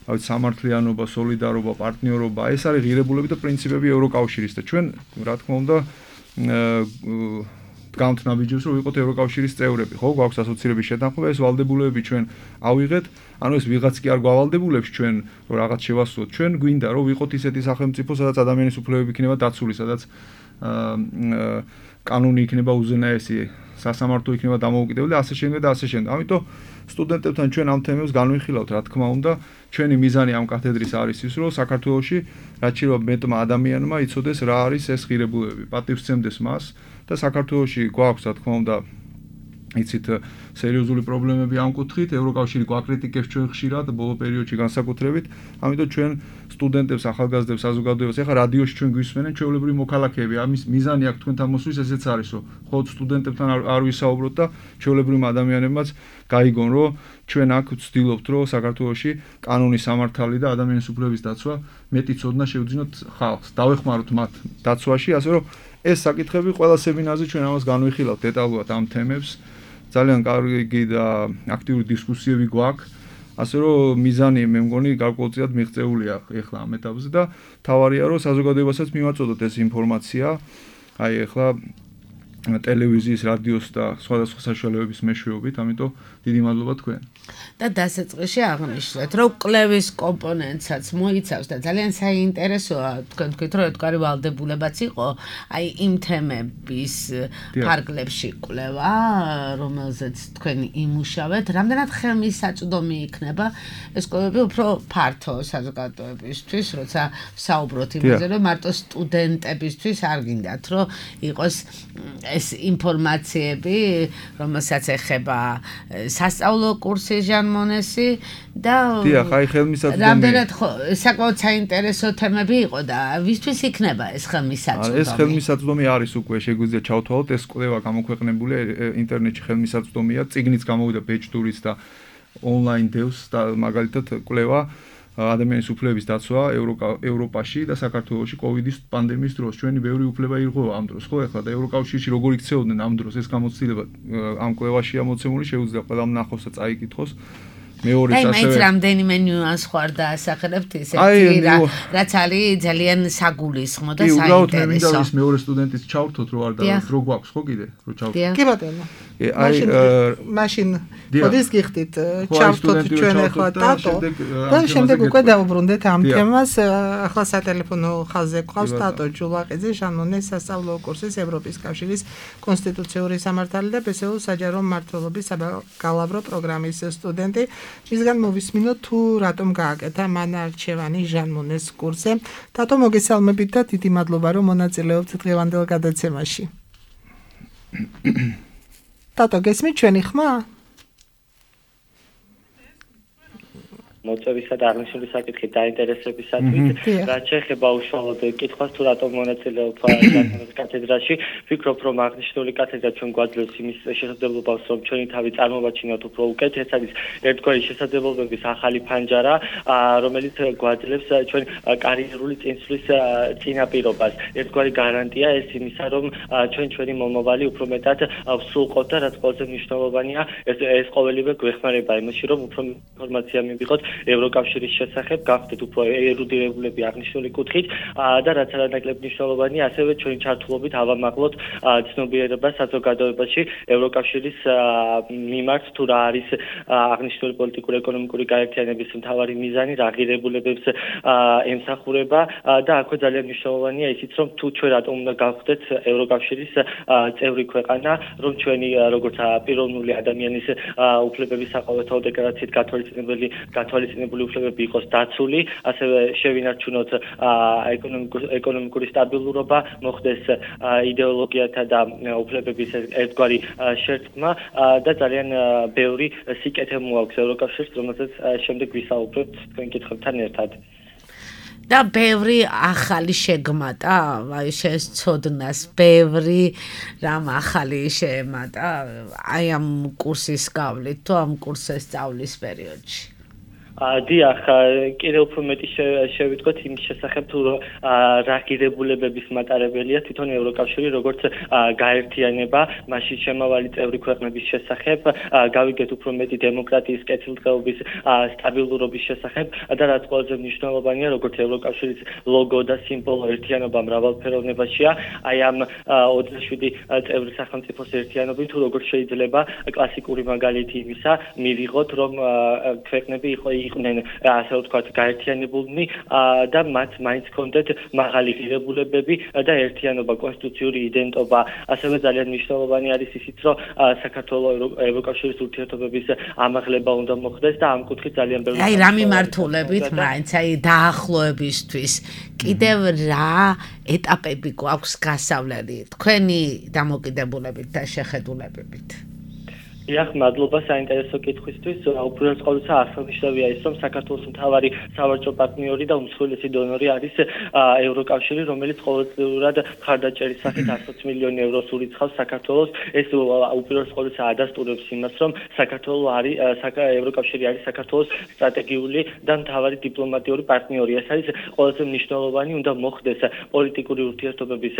სამართლიანობა, სოლიდარობა, პარტნიორობა, ეს არის ღირებულები და პრინციპები ევროკავშირის და ჩვენ, რა თქმა უნდა, დგამთ ნაბიჯებს, რომ ვიყოთ ევროკავშირის წევრები, ხო, გვაქვს ასოცირების შეთანხმება, ეს ვალდებულებები ჩვენ ავიღეთ, ანუ ეს ვიღაც კი არ გავალდებულებს ჩვენ, რომ რაღაც შევასრულოთ, ჩვენ გვინდა, რომ ვიყოთ ისეთი სახელმწიფო, სადაც ადამიანის უფლებები იქნება დაცული, სადაც კანონი იქნება უზენაესი, სასამართლო იქნება დამოუკიდებელი, ასე შემდეგ და ასე შემდეგ. ამიტომ სტუდენტებთან ჩვენ ამ თემებს განვიხილავთ, რა თქმა უნდა, ჩვენი მიზანი ამ კათედრის არის ის, რომ საქართველოში რაც შეიძლება მეტმა ადამიანმა იცოდეს რა არის ეს ღირებულებები, პატივსცემდეს მას და საქართველოში გვაქვს, რა თქმა უნდა, იცით სერიოზული პრობლემები ამ კუთხით, ევროკავშირი გვაკრიტიკებს ჩვენ ხშირად ბოლო პერიოდში განსაკუთრებით, ამიტომ ჩვენ სტუდენტებს, ახალგაზრდებს, საზოგადოებას, ეხლა რადიოში ჩვენ გვისმენენ, ჩვეულებრივი მოქალაქეები, ამის მიზანი აქვს თქვენთან მოსვლის ესეც არის, რომ ხოთ სტუდენტებთან არ ვისაუბროთ და ჩვეულებრივი ადამიანებმაც გაიგონ, რომ ჩვენ აქ ვცდილობთ, რომ საქართველოში კანონის სამართალი და ადამიანის უფლებების დაცვა მეტი ცოდნა შევძინოთ ხალხს, დავეხმაროთ მათ დაცვაში, ასე რომ ეს საკითხები ყველა სემინარზე ჩვენ ამას განვიხილავთ დეტალურად ამ თემებს. ძალიან კარგი და აქტიური დისკუსიები გვაქვს, ასე რომ მიზანი მე მგონი გარკვეულწილად მიღწეულია ეხლა ამ ეტაპზე და თავარია რომ საზოგადოებასაც მივაწოდოთ ეს ინფორმაცია, აი ეხლა ტელევიზიის, რადიოს და სხვადასხვა საშუალებების მეშვეობით, ამიტომ დიდი მადლობა თქვენ. და დასაწყისში აღნიშნეთ, რომ კლევის კომპონენტსაც მოიცავს და ძალიან საინტერესოა, თქვენ თქვით, რომ ეთქვარი ვალდებულებაც იყო, აი იმ თემების ფარგლებში კვლევა, რომელზეც თქვენ იმუშავეთ, რამდენად ხელმისაწვდომი იქნება ეს კვლევები უფრო ფართო საზოგადოებისთვის, როცა საუბრობთ იმაზე, რომ მარტო სტუდენტებისთვის არ გინდათ, რომ იყოს ეს ინფორმაციები, რომელსაც ეხება სასწავლო კურსი ჟანმონესი და დიახ, აი ხელმისაწვდომი. რამდენად საკმაოდ საინტერესო თემები იყო და ვისთვის იქნება ეს ხელმისაწვდომი? ეს ხელმისაწვდომი არის უკვე შეგვიძლია ჩავთვალოთ, ეს კვლევა გამოქვეყნებულია ინტერნეტში ხელმისაწვდომია, წიგნიც გამოვიდა ბეჭდურის და ონლაინ დევს და მაგალითად კვლევა ადამიანის უფლებების დაცვა ევროპაში და საქართველოში კოვიდის პანდემიის დროს ჩვენი ბევრი უფლება ირღვევა ამ დროს, ხო ეხლა და ევროკავშირში როგორ იქცეოდნენ ამ დროს ეს გამოცდილება ამ კვლევაშია მოცემული, შეუძლია ყველამ ნახოს და წაიკითხოს. მეორე აი, მაინც რამდენიმე ნიუანს ხარ დაასახელებთ ისეთი, რაც არის ძალიან საგულისხმო და საინტერესო. კი, უბრალოდ მე მინდა ის მეორე სტუდენტის ჩავთოთ, რო არ და რო გვაქვს, ხო კიდე, რო ჩავთოთ. კი ბატონო. აი, მაშინ მოდის გიხდით, ჩავთოთ ჩვენ ახლა ტატო და შემდეგ უკვე დავუბრუნდეთ ამ თემას. ახლა სატელეფონო ხაზზე გვყავს ტატო ჯულაყიძე, ჟანმონეს სასწავლო კურსის ევროპის კავშირის კონსტიტუციური სამართალი და ბესეულ საჯარო მმართველობის საბაკალავრო პროგრამის სტუდენტი. მისგან მოვისმინოთ თუ რატომ გააკეთა მან არჩევანი ჟანმონეს კურსზე. თათო მოგესალმებით და დიდი მადლობა რომ მონაწილეობთ დღევანდელ გადაცემაში. თათო გესმით ჩვენი ხმა? მოწვევისა და აღნიშნული საკითხით დაინტერესებისათვის, რაც შეეხება უშუალოდ კითხვას თუ რატომ მონაწილეობ ჟანმონეს კათედრაში, ვფიქრობ, რომ აღნიშნული კათედრა ჩვენ გვაძლევს იმის შესაძლებლობას, რომ ჩვენი თავი წარმოვაჩინოთ უფრო უკეთ, ეს არის ერთგვარი შესაძლებლობების ახალი ფანჯარა, რომელიც გვაძლევს ჩვენ კარიერული წინსვლის წინაპირობას. ერთგვარი გარანტია ეს იმისა, რომ ჩვენ ჩვენი მომავალი უფრო მეტად ვსრულყოთ და რაც ყველაზე მნიშვნელოვანია, ეს ეს ყოველივე გვეხმარება იმაში, რომ უფრო ინფორმაცია მივიღოთ ევროკავშირის შესახებ, გავხდეთ უფრო ერუდირებულები აღნიშნული კუთხით და რაც არანაკლებ მნიშვნელოვანია, ასევე ჩვენი ჩართულობით ავამაღლოთ ცნობიერებას საზოგადოებაში ევროკავშირის მიმართ თუ რა არის აღნიშნული პოლიტიკურ-ეკონომიკური გაერთიანების მთავარი მიზანი, რა ღირებულებებს ემსახურება და აქვე ძალიან მნიშვნელოვანია ისიც, რომ თუ ჩვენ რატომ უნდა გავხდეთ ევროკავშირის წევრი ქვეყანა, რომ ჩვენი როგორც პიროვნული ადამიანის უფლებების საყოველთაო დეკლარაციით გათვალისწინებელი გათვალისწინებული უფლებები იყოს დაცული, ასევე შევინარჩუნოთ ეკონომიკური სტაბილურობა, მოხდეს იდეოლოგიათა და უფლებების ერთგვარი შერწყმა და ძალიან ბევრი სიკეთე მოაქვს ევროკავშირს, რომელზეც შემდეგ ვისაუბრებთ თქვენ კითხვებთან ერთად. და ბევრი ახალი შეგმატა, აი შეცოდნას, ბევრი რამ ახალი შეემატა, აი ამ კურსის გავლით თუ ამ კურსის სწავლის პერიოდში. დიახ, კიდევ უფრო მეტი შევიტყვეთ იმის შესახებ, თუ რა ღირებულებების მატარებელია თვითონ ევროკავშირი, როგორც გაერთიანება, მასში შემავალი წევრი ქვეყნების შესახებ, გავიგეთ უფრო მეტი დემოკრატიის კეთილდღეობის სტაბილურობის შესახებ და რაც ყველაზე მნიშვნელოვანია, როგორც ევროკავშირის ლოგო და სიმბოლო ერთიანობა მრავალფეროვნებაშია, აი ამ ოცდაშვიდი წევრი სახელმწიფოს ერთიანობით, თუ როგორ შეიძლება კლასიკური მაგალითი იმისა მივიღოთ, რომ ქვეყნები იყო იყვნენ ასე ვთქვათ გაერთიანებულნი და მათ მაინც ჰქონდათ მაღალი ღირებულებები და ერთიანობა, კონსტიტუციური იდენტობა. ასევე ძალიან მნიშვნელოვანი არის ისიც, რომ საქართველოს ევროკავშირის ურთიერთობების ამაღლება უნდა მოხდეს და ამ კუთხით ძალიან ბევრი აი რა მიმართულებით მაინც აი დაახლოებისთვის კიდევ რა ეტაპები გვაქვს გასავლელი თქვენი დამოკიდებულებით და შეხედულებებით. დიახ, მადლობა საინტერესო კითხვისთვის. უპირველეს ყოვლისა აღსანიშნავია ის, რომ საქართველოს მთავარი სავაჭრო პარტნიორი და უმსხვილესი დონორი არის ევროკავშირი, რომელიც ყოველწლიურად მხარდაჭერის სახით ათი მილიონი ევროს ურიცხავს საქართველოს. ეს უპირველეს ყოვლისა ადასტურებს იმას, რომ საქართველოს არის ევროკავშირი არის საქართველოს სტრატეგიული და მთავარი დიპლომატიური პარტნიორი. ეს არის ყველაზე მნიშვნელოვანი, უნდა მოხდეს პოლიტიკური ურთიერთობების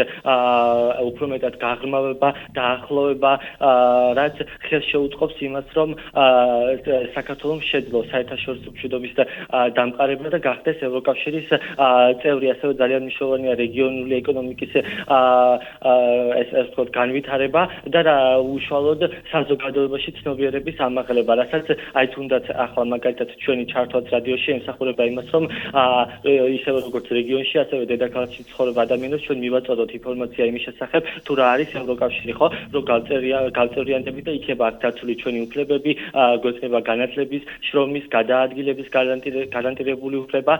უფრო მეტად გაღრმავება, დაახლოვება, რაც ხელს უწყობს იმას, რომ საქართველოს შეძლო საერთაშორისო მშვიდობის დამყარება და გახდეს ევროკავშირის წევრი. ასევე ძალიან მნიშვნელოვანია რეგიონული ეკონომიკის ეს ასე ვთქვათ განვითარება და უშუალოდ საზოგადოებაში ცნობიერების ამაღლება, რასაც აი თუნდაც ახლა მაგალითად ჩვენი ჩართვაც რადიოში ემსახურება იმას, რომ ისევე როგორც რეგიონში, ასევე დედაქალაქში ცხოვრებ ადამიანებს ჩვენ მივაწოდოთ ინფორმაცია იმის შესახებ, თუ რა არის ევროკავშირი, ხო, რომ გავწევრიანდებით და იქნება დაცული ჩვენი უფლებები, გვექნება განათლების, შრომის, გადაადგილების გარანტირებული უფლება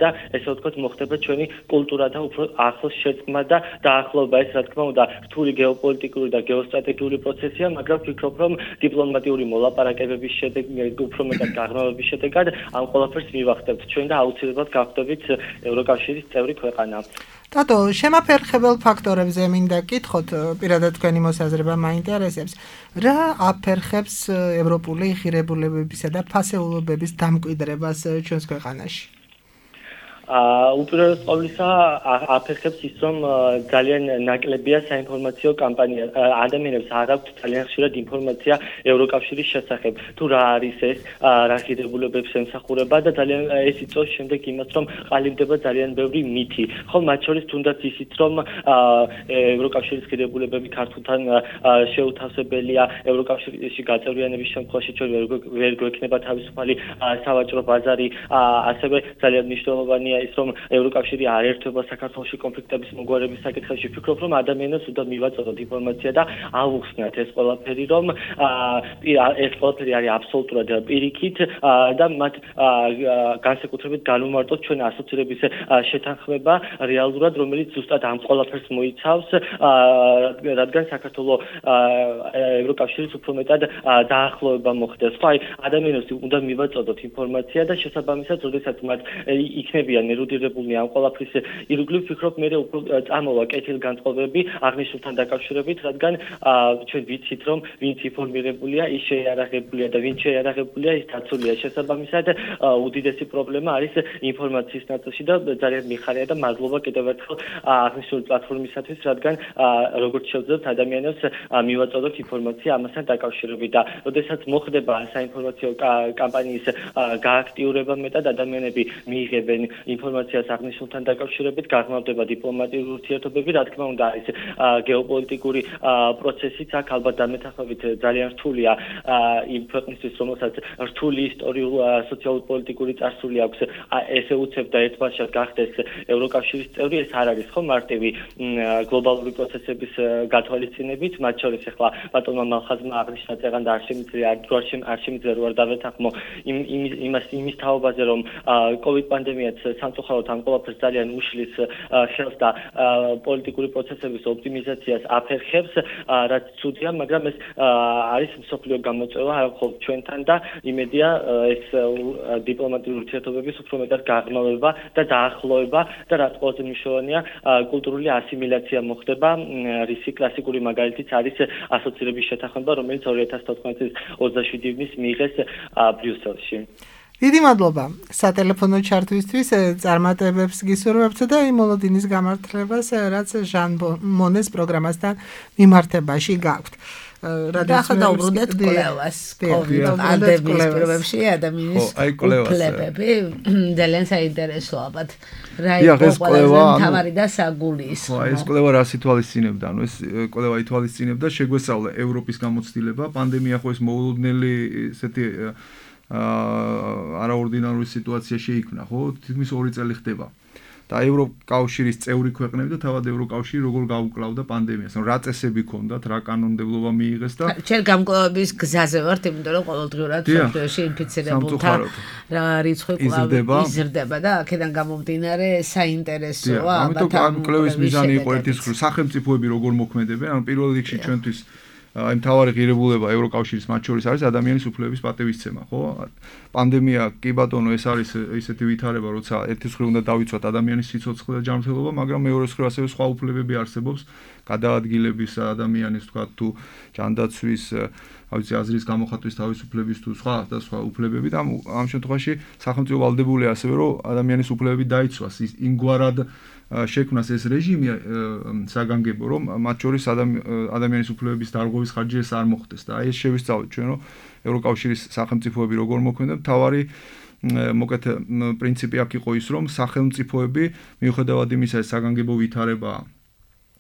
და ესე ვთქვათ მოხდება ჩვენი კულტურა და უფრო ახლოს შეწყმა და დაახლოება. ეს რა თქმა უნდა რთული გეოპოლიტიკური და გეოსტრატეგიული პროცესია, მაგრამ ვფიქრობ, რომ დიპლომატიური მოლაპარაკებების შედეგად, უფრო მეტად გაღრმავების შედეგად ამ ყველაფერს მივახდებთ ჩვენ და აუცილებლად გავხდებით ევროკავშირის წევრი ქვეყანა. დადო, შემაფერხებელ ფაქტორებზე მინდა გკითხოთ, პირადად თქვენი მოსაზრება მაინტერესებს. რა აფერხებს ევროპული ღირებულებებისა და ფასეულობების დამკვიდრებას ჩვენს ქვეყანაში? უპირველეს ყოვლისა აფერხებს ის, რომ ძალიან ნაკლებია საინფორმაციო კამპანია. ადამიანებს არ აქვთ ძალიან ხშირად ინფორმაცია ევროკავშირის შესახებ. თუ რა არის ეს, რა ღირებულებებს ემსახურება და ძალიან ეს იწვევს შემდეგ იმას, რომ ყალიბდება ძალიან ბევრი მითი. ხო, მათ შორის თუნდაც ისიც, რომ ევროკავშირის ღირებულებები ქართულთან შეუთავსებელია, ევროკავშირში გაწევრიანების შემთხვევაში ჩვენ ვერ გვექნება თავისუფალი სავაჭრო ბაზარი, ასევე ძალიან მნიშვნელოვანია მგონია ის რომ ევროკავშირი არ ერთვება საქართველოში კონფლიქტების მოგვარების საკითხებში ვფიქრობ რომ ადამიანებს უნდა მივაწოდოთ ინფორმაცია და ავუხსნათ ეს ყველაფერი რომ ეს ყველაფერი არის აბსოლუტურად პირიქით და მათ განსაკუთრებით განუმარტოთ ჩვენ ასოცირების შეთანხმება რეალურად რომელიც ზუსტად ამ ყველაფერს მოიცავს რადგან საქართველოს ევროკავშირის უფრო მეტად დაახლოება მოხდეს ხო აი ადამიანებს უნდა მივაწოდოთ ინფორმაცია და შესაბამისად როდესაც მათ იქნებიან ერუდირებულნი ამ ყველაფრის ირგვლივ ვფიქრობ მე უფრო წამოვა კეთილგანწყობები აღნიშნულთან დაკავშირებით რადგან ჩვენ ვიცით რომ ვინც ინფორმირებულია ის შეიარაღებულია და ვინც შეიარაღებულია ის დაცულია შესაბამისად უდიდესი პრობლემა არის ინფორმაციის ნაწილში და ძალიან მიხარია და მადლობა კიდევ ერთხელ აღნიშნული პლატფორმისათვის რადგან როგორც შევძლებთ ადამიანებს მივაწოდოთ ინფორმაცია ამასთან დაკავშირებით და როდესაც მოხდება საინფორმაციო კამპანიის გააქტიურება მეტად ადამიანები მიიღებენ ინფორმაციას აღნიშნულთან დაკავშირებით გაღრმავდება დიპლომატიური ურთიერთობები რა თქმა უნდა არის გეოპოლიტიკური პროცესიც აქ ალბათ დამეთანხმებით ძალიან რთულია იმ ქვეყნისთვის რომელსაც რთული ისტორიულ სოციალურ-პოლიტიკური წარსული აქვს ესე უცებ და ერთბაშად გახდეს ევროკავშირის წევრი ეს არ არის ხო მარტივი გლობალური პროცესების გათვალისწინებით მათ შორის ახლა ბატონმა მალხაზმა აღნიშნა წეგან და არ შემიძლია არ შემიძლია რო არ დავეთანხმო იმას იმის თაობაზე რომ კოვიდ პანდემიაც სამწუხაროდ ამ ყველაფერს ძალიან უშლის ხელს და პოლიტიკური პროცესების ოპტიმიზაციას აფერხებს რაც ცუდია მაგრამ ეს არის მსოფლიო გამოწვევა არა მხოლოდ ჩვენთან და იმედია ეს დიპლომატიური ურთიერთობების უფრო მეტად გაღრმავება და დაახლოება და რაც ყველაზე მნიშვნელოვანია კულტურული ასიმილაცია მოხდება რისი კლასიკური მაგალითიც არის ასოცირების შეთანხმება რომელიც ორი ათას თოთხმეტი წლის ოცდაშვიდი ივნის მიიღეს ბრიუსელში დიდი მადლობა სატელეფონო ჩართვისთვის წარმატებებს გისურვებთ და იმ მოლოდინის გამართლებას რაც ჟან მონეს პროგრამასთან მიმართებაში გაქვთ რადგან დაუბრუნდეთ კვლევას კოვიდ პანდემიის პირობებში ადამიანის უფლებები ძალიან საინტერესოა ალბათ რა იყო ყველაზე მთავარი და საგულისხმო ხო ეს კვლევა რას ითვალისწინებდა ანუ ეს კვლევა ითვალისწინებდა შეგვესწავლა ევროპის გამოცდილება პანდემია ხო ეს მოულოდნელი ესეთი არაორდინარული სიტუაცია შეიქმნა ხო თითქმის ორი წელი ხდება და ევროკავშირის წევრი ქვეყნები და თავად ევროკავშირი როგორ გაუკლავდა პანდემიას ანუ რა წესები ჰქონდათ რა კანონმდებლობა მიიღეს და ჩვენ გამკლავების გზაზე ვართ იმიტომ რომ ყოველდღიურად სოფლიოში ინფიცირებულთა რა რიცხვი კვლავ იზრდება და აქედან გამომდინარე საინტერესოა ამიტომ ამ კვლევის მიზანი იყო ერთის მხრივ სახელმწიფოები როგორ მოქმედებენ ანუ პირველ რიგში ჩვენთვის აი მთავარი ღირებულება ევროკავშირის მათ შორის არის ადამიანის უფლებების პატივისცემა, ხო? პანდემია კი ბატონო ეს არის ისეთი ვითარება, როცა ერთის მხრივ უნდა დავიცვათ ადამიანის სიცოცხლე და ჯანმრთელობა, მაგრამ მეორეს მხრივ ასევე სხვა უფლებები არსებობს, გადაადგილების ადამიანის თქვა თუ ჯანდაცვის, აი ვიცი აზრის გამოხატვის თავისუფლების თუ სხვა და სხვა უფლებები და ამ შემთხვევაში სახელმწიფო ვალდებულია ასევე რომ ადამიანის უფლებები დაიცვას იმგვარად შექმნას ეს რეჟიმი საგანგებო რომ მათ შორის ადამიანის უფლებების დარღვევის ხარჯი ეს არ მოხდეს და აი ეს შევისწავლეთ ჩვენ რომ ევროკავშირის სახელმწიფოები როგორ მოქმედებენ თავარი მოკეთ პრინციპი აქ იყო ის რომ სახელმწიფოები მიუხედავად იმისა ეს საგანგებო ვითარება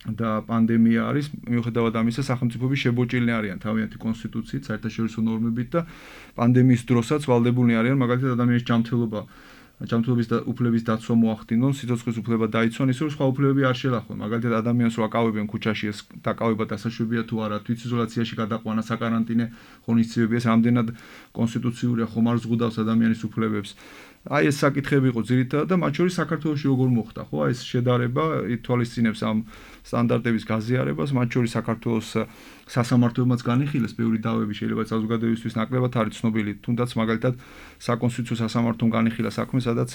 და პანდემია არის მიუხედავად ამისა სახელმწიფოები შებოჭილნი არიან თავიანთი კონსტიტუციით საერთაშორისო ნორმებით და პანდემიის დროსაც ვალდებულნი არიან მაგალითად ადამიანის ჯანმრთელობა ჯანმრთელობის და უფლების დაცვა მოახდინონ, სიცოცხლის უფლება დაიცვან, ისე რომ სხვა უფლებები არ შელახონ. მაგალითად ადამიანს რო აკავებენ ქუჩაში ეს დაკავება დასაშვებია თუ არა, თვითიზოლაციაში გადაყვანა, საკარანტინე ღონისძიებები, ეს რამდენად კონსტიტუციურია, ხომ არ ზღუდავს ადამიანის უფლებებს. აი ეს საკითხები იყო ძირითადად და მათ შორის საქართველოში როგორ მოხდა, ხო? აი ეს შედარება ითვალისწინებს ამ სტანდარტების გაზიარებას, მათ შორის საქართველოს სასამართლოებმაც განიხილეს ბევრი დავები შეიძლება საზოგადოებისთვის ნაკლებად არის ცნობილი, თუნდაც მაგალითად საკონსტიტუციო სასამართლომ განიხილა საქმე, სადაც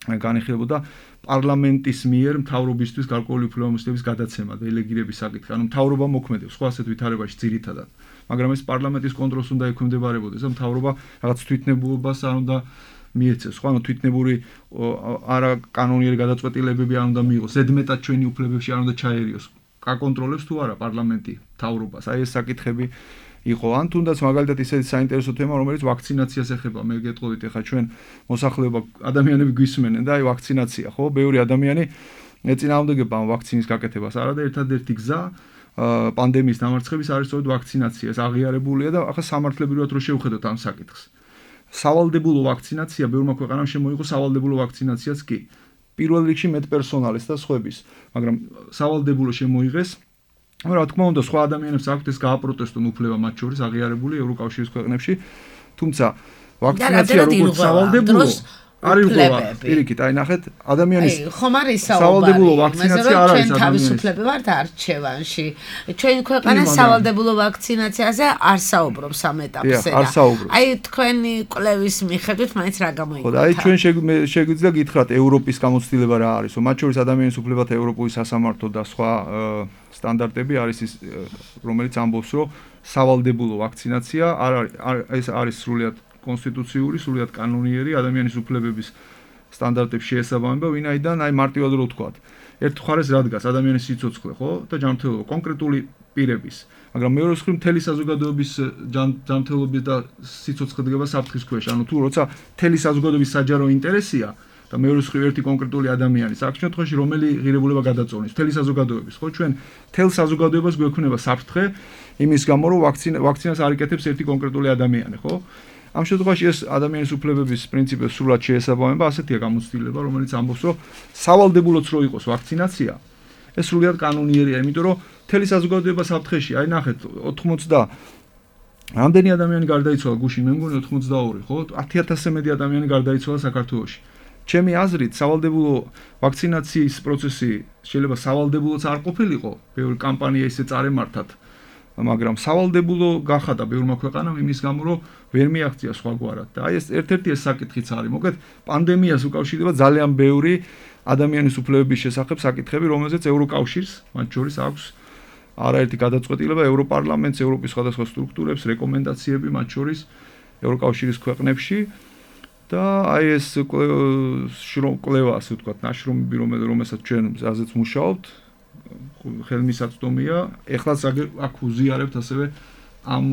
განიხილებოდა პარლამენტის მიერ მთავრობისთვის გარკვეული უფლებამოსილების გადაცემა, დელეგირების საკითხი, ანუ მთავრობა მოქმედებს სხვა ასეთ ვითარებაში ძირითადად, მაგრამ ეს პარლამენტის კონტროლს უნდა ექვემდებარებოდეს და მთავრობა რაღაც თვითნებულობას არ უნდა მიეცეს, ხო, ანუ თვითნებური არა კანონიერი გადაწყვეტილებები არ უნდა მიიღოს, ზედმეტად ჩვენი უფლებებში არ უნდა ჩაერიოს. აკონტროლებს თუ არა პარლამენტი მთავრობას. აი ეს საკითხები იყო. ან თუნდაც მაგალითად ისეთი საინტერესო თემა, რომელიც ვაქცინაციას ეხება. მე გეტყოდით, ეხლა ჩვენ მოსახლეობა ადამიანები გვისმენენ და აი ვაქცინაცია, ხო? ბევრი ადამიანი ეწინააღმდეგება ამ ვაქცინის გაკეთებას. არა და ერთადერთი გზა პანდემიის დამარცხების არის სწორედ ვაქცინაცია. ეს აღიარებულია და ახლა სამართლებრივად რო შევხედოთ ამ საკითხს. სავალდებულო ვაქცინაცია ბევრმა ქვეყანამ შემოიღო სავალდებულო ვაქცინაციაც კი. პირველ რიგში მედპერსონალის და სხვების, მაგრამ სავალდებულო შემოიღეს. რა თქმა უნდა, სხვა ადამიანებს აქვთ ეს გააპროტესტონ უფლება მათ შორის აღიარებული ევროკავშირის ქვეყნებში, თუმცა ვაქცინაცია როგორც სავალდებულო არის უყურება. პირიქით, აი ნახეთ, ადამიანის ხომ არის სავალდებულო ვაქცინაცია არ არის ადამიანის. თავისუფლები ვართ არჩევანში. ჩვენ ქვეყანა სავალდებულო ვაქცინაციაზე არ საუბრობს ამ ეტაპზე. აი თქვენი კვლევის მიხედვით მაინც რა გამოიგონა? ხო, აი ჩვენ შეგვიძლია გითხრათ ევროპის გამოცდილება რა არის, მათ შორის ადამიანის უფლებათა ევროპული სასამართლო და სხვა სტანდარტები არის ის, რომელიც ამბობს, რომ სავალდებულო ვაქცინაცია არ არის არის სრულიად კონსტიტუციური, სრულიად კანონიერი ადამიანის უფლებების სტანდარტებს შეესაბამება, ვინაიდან აი მარტივად რო ვთქვათ, ერთ მხარეს რა დგას ადამიანის სიცოცხლე, ხო? და ჯანმრთელობა კონკრეტული პირების, მაგრამ მეორე მხრივ მთელი საზოგადოების ჯანმრთელობის და სიცოცხლე დგება საფრთხის ქვეშ. ანუ თუ როცა მთელი საზოგადოების საჯარო ინტერესია და მეორე მხრივ ერთი კონკრეტული ადამიანი, აქ შემთხვევაში რომელი ღირებულება გადაწონის, მთელი საზოგადოების, ხო? ჩვენ მთელ საზოგადოებას გვექნება საფრთხე იმის გამო, რომ ვაქცინას არ იკეთებს ერთი კონკრეტული ადამიანი, ხო? ამ შემთხვევაში ეს ადამიანის უფლებების პრინციპებს სრულად შეესაბამება, ასეთია გამოცდილება, რომელიც ამბობს, რომ სავალდებულოც რო იყოს ვაქცინაცია, ეს სრულად კანონიერია, იმიტომ რომ მთელი საზოგადოება საფრთხეში, აი ნახეთ, ოთხმოცდა რამდენი ადამიანი გარდაიცვალა გუშინ, მე მგონი ოცდაორი, ხო? ათი ათასზე მეტი ადამიანი გარდაიცვალა საქართველოში. ჩემი აზრით, სავალდებულო ვაქცინაციის პროცესი შეიძლება სავალდებულოც არ ყოფილიყო, ბევრი კამპანია ისე წარემართათ. მაგრამ სავალდებულო გახადა ბევრმა ქვეყანამ იმის გამო, რომ ვერ მიაღწია სხვაგვარად. და აი ეს ერთ-ერთი ეს საკითხიც არის. მოკლედ, პანდემიას უკავშირდება ძალიან ბევრი ადამიანის უფლებების შესახებ საკითხები, რომელზეც ევროკავშირს, მათ შორის აქვს არაერთი გადაწყვეტილება ევროპარლამენტს, ევროპის სხვადასხვა სტრუქტურებს, რეკომენდაციები მათ შორის ევროკავშირის ქვეყნებში. და აი ეს კვლევა, ასე ვთქვათ, ნაშრომები, რომელსაც ჩვენ აზეც მუშაობთ, ხელმისაწვდომია, ეხლაც აქ უზიარებთ ასევე ამ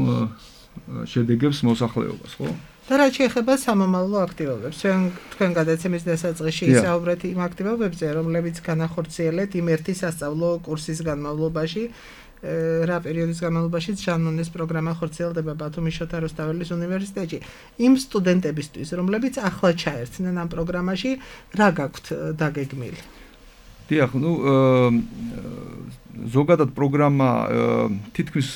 შედეგებს მოსახლეობას, ხო? და რაც შეეხება სამომავლო აქტივობებს, ჩვენ თქვენ გადაცემის დასაწყისში ისაუბრეთ იმ აქტივობებზე, რომლებიც განახორციელეთ იმ ერთი სასწავლო კურსის განმავლობაში, რა პერიოდის განმავლობაში ჟანმონეს პროგრამა ხორციელდება ბათუმის შოთა რუსთაველის უნივერსიტეტში. იმ სტუდენტებისთვის, რომლებიც ახლა ჩაერთნენ ამ პროგრამაში, რა გაქვთ დაგეგმილი? დიახ, ნუ ზოგადად პროგრამა თითქმის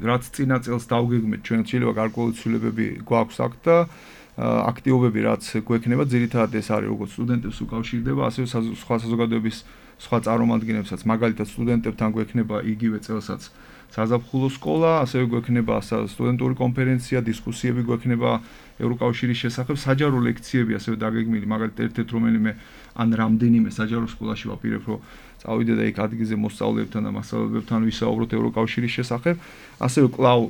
რაც წინა წელს დავგეგმეთ, ჩვენ შეიძლება გარკვეული ცვლილებები გვაქვს აქ და აქტივობები რაც გვექნება, ძირითადად ეს არის როგორც სტუდენტებს უკავშირდება, ასევე სხვა საზოგადოების სხვა წარმომადგენლებსაც, მაგალითად სტუდენტებთან გვექნება იგივე წელსაც საზაფხულო სკოლა, ასევე გვექნება სტუდენტური კონფერენცია, დისკუსიები გვექნება ევროკავშირის შესახებ, საჯარო ლექციები ასევე დაგეგმილი, მაგალითად ერთ-ერთ რომელიმე ან რამდენიმე საჯარო სკოლაში ვაპირებ, რომ წავიდე და იქ ადგილზე მოსწავლეებთან და მასწავლებლებთან ვისაუბროთ ევროკავშირის შესახებ, ასევე კვლავ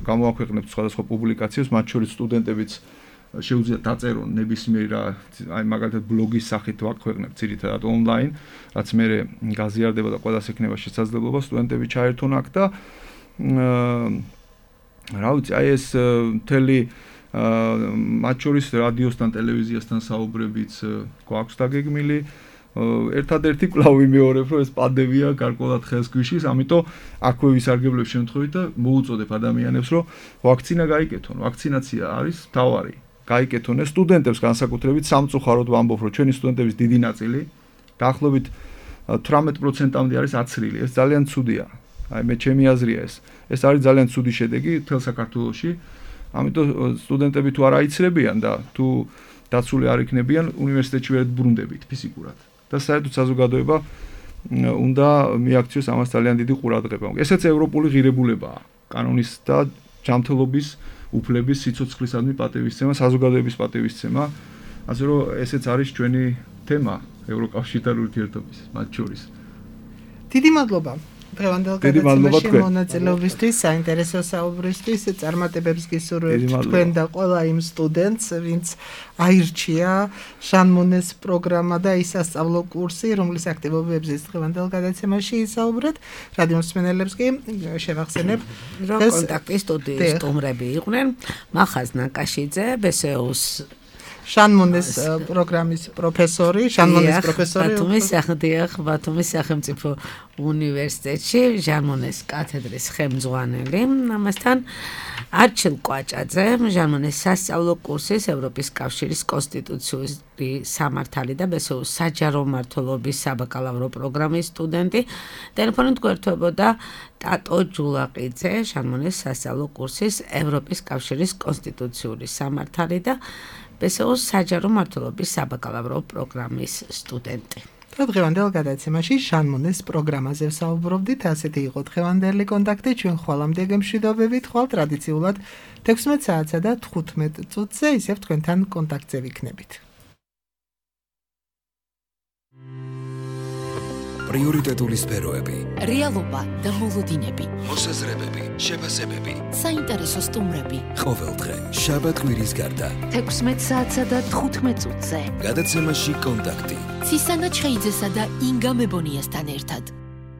გამოვაქვეყნებთ სხვადასხვა პუბლიკაციებს, მათ შორის სტუდენტებიც შეუძლიათ დაწერონ ნებისმიერ აი მაგალითად ბლოგის სახით ვაქვეყნებთ ძირითადად ონლაინ, რაც მე გაზიარდება და ყველას ექნება შესაძლებლობა სტუდენტები ჩაერთონ აქ და რა ვიცი, აი ეს მთელი მათ შორის რადიოსთან, ტელევიზიასთან საუბრებიც გვაქვს დაგეგმილი. ერთადერთი კვლავ ვიმეორებ, რომ ეს პანდემია გარკვეულად ხელს გვიშლის, ამიტომ აქვე ვისარგებლებ შემთხვევით და მოუწოდებ ადამიანებს, რომ ვაქცინა გაიკეთონ. ვაქცინაცია არის მთავარი. გაიკეთონ ეს სტუდენტებს განსაკუთრებით სამწუხაროდ ვამბობ, რომ ჩვენი სტუდენტების დიდი ნაწილი დაახლოებით თვრამეტ პროცენტამდე არის აცრილი. ეს ძალიან ცუდია. აი მე ჩემი აზრია ეს. ეს არის ძალიან ცუდი შედეგი მთელ საქართველოში. ამიტომ სტუდენტები თუ არ აიცრებიან და თუ დაცული არ იქნებიან, უნივერსიტეტში ვერ ბრუნდებით ფიზიკურად. და საერთოდ საზოგადოება უნდა მიაქციოს ამას ძალიან დიდი ყურადღება. ესეც ევროპული ღირებულებაა, კანონის და ჯანმრთელობის უფლების სიცოცხლისადმი პატივისცემა, საზოგადოების პატივისცემა. ასე რომ ესეც არის ჩვენი თემა ევროკავშირთან ურთიერთობის მათ შორის. დიდი მადლობა. დღევანდელ გადაცემაში მონაწილეობისთვის, საინტერესო საუბრისთვის, წარმატებებს გისურვებთ თქვენ და ყველა იმ სტუდენტს, ვინც აირჩია ჟანმონეს პროგრამა და ის სასწავლო კურსი, რომლის აქტივობებზეც დღევანდელ გადაცემაში ისაუბრეთ. რადიო მსმენელებს კი შევახსენებ, რომ კონტაქტის სტუდიის სტუმრები იყვნენ მახაზ ნაკაშიძე, ბესეუს ჟანმონეს პროგრამის პროფესორი, ჟანმონეს პროფესორი. ბათუმის სახელმწიფო ბათუმის სახელმწიფო უნივერსიტეტში ჟანმონეს კათედრის ხელმძღვანელი. ამასთან არჩილ კვაჭაძე, ჟანმონეს სასწავლო კურსის ევროპის კავშირის კონსტიტუციური სამართალი და ბესოუს საჯარო მმართველობის საბაკალავრო პროგრამის სტუდენტი. ტელეფონით გვერდებოდა ტატო ჯულაყიძე, ჟანმონეს სასწავლო კურსის ევროპის კავშირის კონსტიტუციური სამართალი და ბესოუს საჯარო მმართველობის საბაკალავრო პროგრამის სტუდენტი. დღევანდელ გადაცემაში ჟანმონეს პროგრამაზე ვსაუბრობდით. ასეთი იყო დღევანდელი კონტაქტი. ჩვენ ხვალამდე გემშვიდობებით, ხვალ ტრადიციულად თექვსმეტ საათსა და თხუთმეტ წუთზე ისევ თქვენთან კონტაქტზე ვიქნებით. პრიორიტეტული სფეროები, რეალობა და მოლოდინები, მოსაზრებები, შეფასებები, საინტერესო სტუმრები. ყოველდღე შაბათ კვირის გარდა თექვსმეტ საათსა და თხუთმეტ წუთზე. გადაცემაში კონტაქტი. ცისანა ჩხეიძესა და ინგა მებონიასთან ერთად.